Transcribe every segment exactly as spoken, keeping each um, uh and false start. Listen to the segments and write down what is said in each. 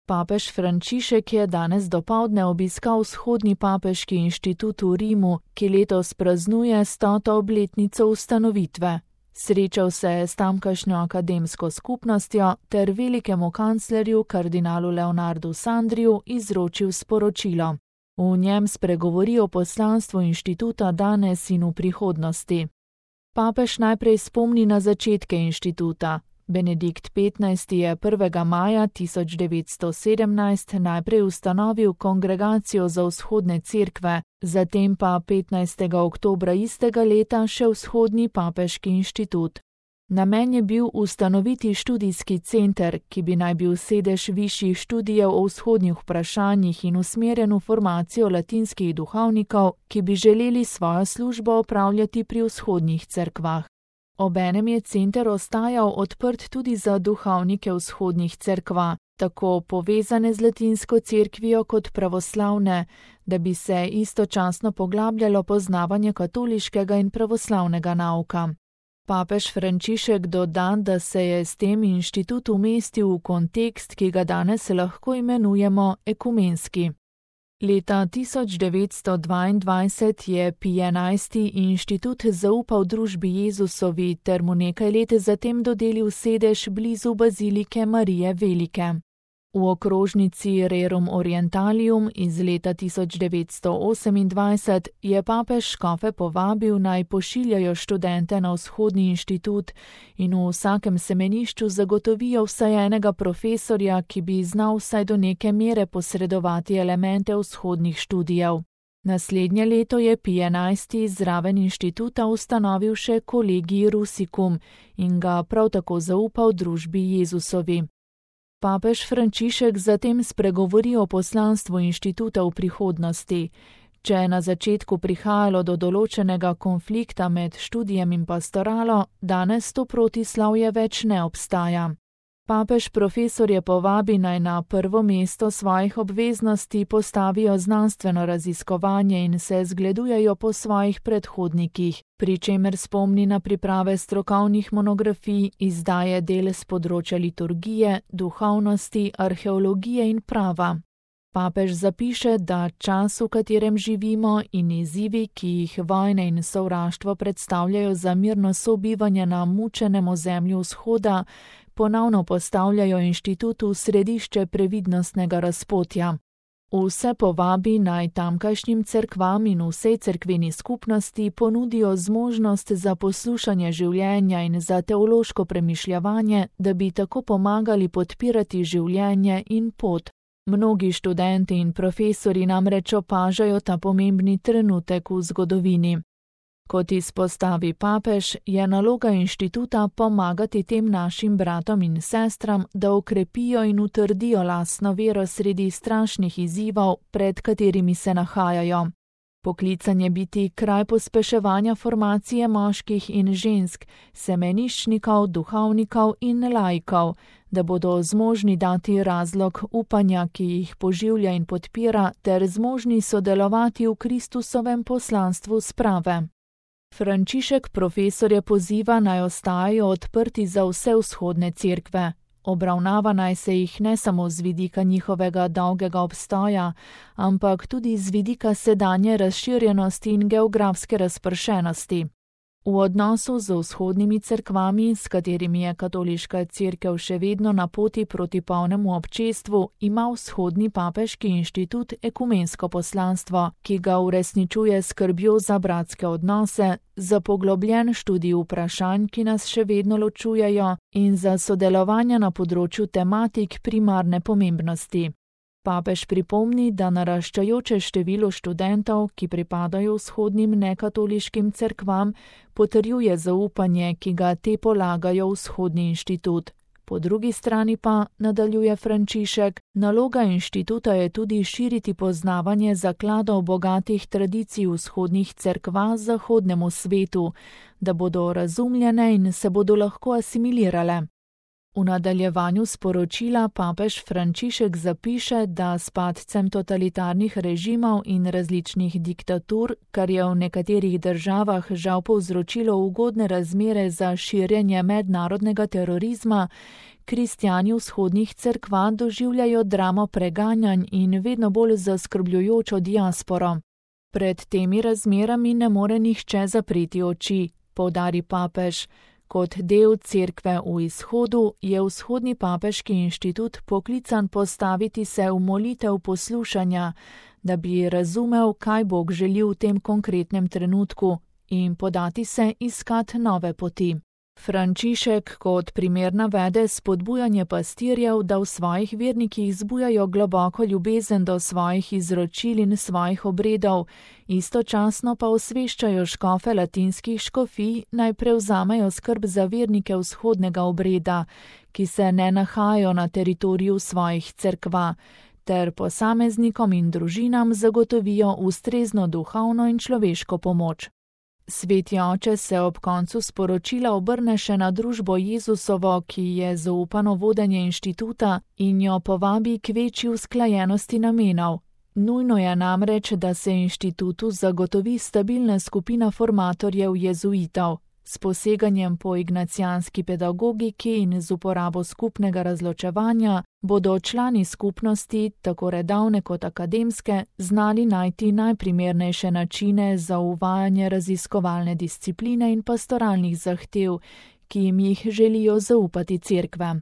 Papež Frančišek je danes dopoldne obiskal Vzhodni papeški inštitut v Rimu, ki letos praznuje stoto obletnico ustanovitve. Srečal se je s tamkajšnjo akademsko skupnostjo ter velikemu kanclerju kardinalu Leonardu Sandriju izročil sporočilo. V njem spregovori o poslanstvu inštituta danes in v prihodnosti. Papež najprej spomni na začetke inštituta. Benedikt petnajsti je prvega maja tisoč devetsto sedemnajst najprej ustanovil Kongregacijo za vzhodne cerkve, zatem pa petnajstega oktobra istega leta še Vzhodni papeški inštitut. Namen je bil ustanoviti študijski center, ki bi naj bil sedež višjih študijev o vzhodnih vprašanjih in usmerjen v formacijo latinskih duhovnikov, ki bi želeli svojo službo opravljati pri vzhodnih cerkvah. Obenem je center ostajal odprt tudi za duhovnike vzhodnih cerkva, tako povezane z latinsko cerkvijo kot pravoslavne, da bi se istočasno poglabljalo poznavanje katoliškega in pravoslavnega nauka. Papež Frančišek doda, da se je s tem inštitut umestil v kontekst, ki ga danes lahko imenujemo ekumenski. Leta tisoč devetsto dvaindvajset je Pij enajsti inštitut zaupal družbi Jezusovi ter mu nekaj let zatem dodelil sedež blizu bazilike Marije Velike. V okrožnici Rerum Orientalium iz leta tisoč devetsto osemindvajset je papež škofe povabil, naj pošiljajo študente na vzhodni inštitut in v vsakem semenišču zagotovijo vsaj enega profesorja, ki bi znal vsaj do neke mere posredovati elemente vzhodnih študijev. Naslednje leto je Pij enajsti zraven inštituta ustanovil še Collegii Russicum in ga prav tako zaupal družbi Jezusovi. Papež Frančišek zatem spregovori o poslanstvu inštituta v prihodnosti. Če je na začetku prihajalo do določenega konflikta med študijem in pastoralo, danes to protislavje več ne obstaja. Papež profesorje povabi, naj na prvo mesto svojih obveznosti postavijo znanstveno raziskovanje in se zgledujejo po svojih predhodnikih, pri čemer spomni na priprave strokovnih monografij, izdaje del s področja liturgije, duhovnosti, arheologije in prava. Papež zapiše, da čas, v katerem živimo, in izzivi, ki jih vojne in sovraštvo predstavljajo za mirno sobivanje na mučenem ozemlju vzhoda, ponovno postavljajo inštitut v središče previdnostnega razpotja. Vse povabi, naj tamkajšnjim cerkvam in vsej cerkveni skupnosti ponudijo zmožnost za poslušanje življenja in za teološko premišljevanje, da bi tako pomagali podpirati življenje in pot. Mnogi študenti in profesori namreč opažajo ta pomembni trenutek v zgodovini. Kot izpostavi papež, je naloga inštituta pomagati tem našim bratom in sestram, da okrepijo in utrdijo lastno vero sredi strašnih izzivov, pred katerimi se nahajajo. Poklican je biti kraj pospeševanja formacije moških in žensk, semeniščnikov, duhovnikov in laikov, da bodo zmožni dati razlog upanja, ki jih poživlja in podpira, ter zmožni sodelovati v Kristusovem poslanstvu sprave. Frančišek profesorje poziva, naj ostajajo odprti za vse vzhodne cerkve. Obravnava naj se jih ne samo z vidika njihovega dolgega obstoja, ampak tudi z vidika sedanje razširjenosti in geografske razpršenosti. V odnosu z vzhodnimi cerkvami, s katerimi je katoliška cerkev še vedno na poti proti polnemu občestvu, ima Vzhodni papeški inštitut ekumensko poslanstvo, ki ga uresničuje skrbjo za bratske odnose, za poglobljen študij vprašanj, ki nas še vedno ločujejo, in za sodelovanje na področju tematik primarne pomembnosti. Papež pripomni, da naraščajoče število študentov, ki pripadajo vzhodnim nekatoliškim cerkvam, potrjuje zaupanje, ki ga te polagajo v Vzhodni inštitut. Po drugi strani pa, nadaljuje Frančišek, naloga inštituta je tudi širiti poznavanje zakladov bogatih tradicij vzhodnih cerkva zahodnemu svetu, da bodo razumljene in se bodo lahko asimilirale. V nadaljevanju sporočila papež Frančišek zapiše, da s padcem totalitarnih režimov in različnih diktatur, kar je v nekaterih državah žal povzročilo ugodne razmere za širjenje mednarodnega terorizma, kristjani vzhodnih cerkva doživljajo dramo preganjanj in vedno bolj zaskrbljujočo diasporo. Pred temi razmerami ne more nihče zapreti oči, poudari papež. Kot del cerkve v izhodu je vzhodni papeški inštitut poklican postaviti se v molitev poslušanja, da bi razumel, kaj Bog želi v tem konkretnem trenutku in podati se iskat nove poti. Frančišek kot primer navede spodbujanje pastirjev, da v svojih vernikih zbujajo globoko ljubezen do svojih izročil in svojih obredov, istočasno pa osveščajo škofe latinskih škofij, naj prevzamejo skrb za vernike vzhodnega obreda, ki se ne nahajajo na teritoriju svojih cerkva, ter posameznikom in družinam zagotovijo ustrezno duhovno in človeško pomoč. Sveti oče se ob koncu sporočila obrne še na družbo Jezusovo, ki je zaupano vodenje inštituta, in jo povabi k večji usklajenosti namenov. Nujno je namreč, da se inštitutu zagotovi stabilna skupina formatorjev jezuitov. S poseganjem po ignacijanski pedagogiki in z uporabo skupnega razločevanja bodo člani skupnosti, tako redovne kot akademske, znali najti najprimernejše načine za uvajanje raziskovalne discipline in pastoralnih zahtev, ki jim jih želijo zaupati cerkve.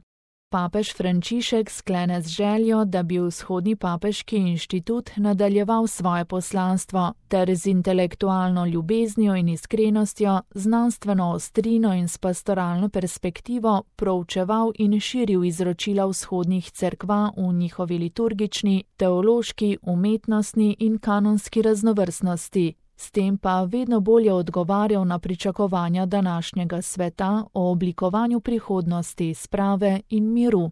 Papež Frančišek sklene z željo, da bi vzhodni papeški inštitut nadaljeval svoje poslanstvo ter z intelektualno ljubeznijo in iskrenostjo, znanstveno ostrino in s pastoralno perspektivo proučeval in širil izročila vzhodnih cerkva v njihovi liturgični, teološki, umetnostni in kanonski raznovrstnosti. S tem pa vedno bolje odgovarjal na pričakovanja današnjega sveta o oblikovanju prihodnosti, sprave in miru.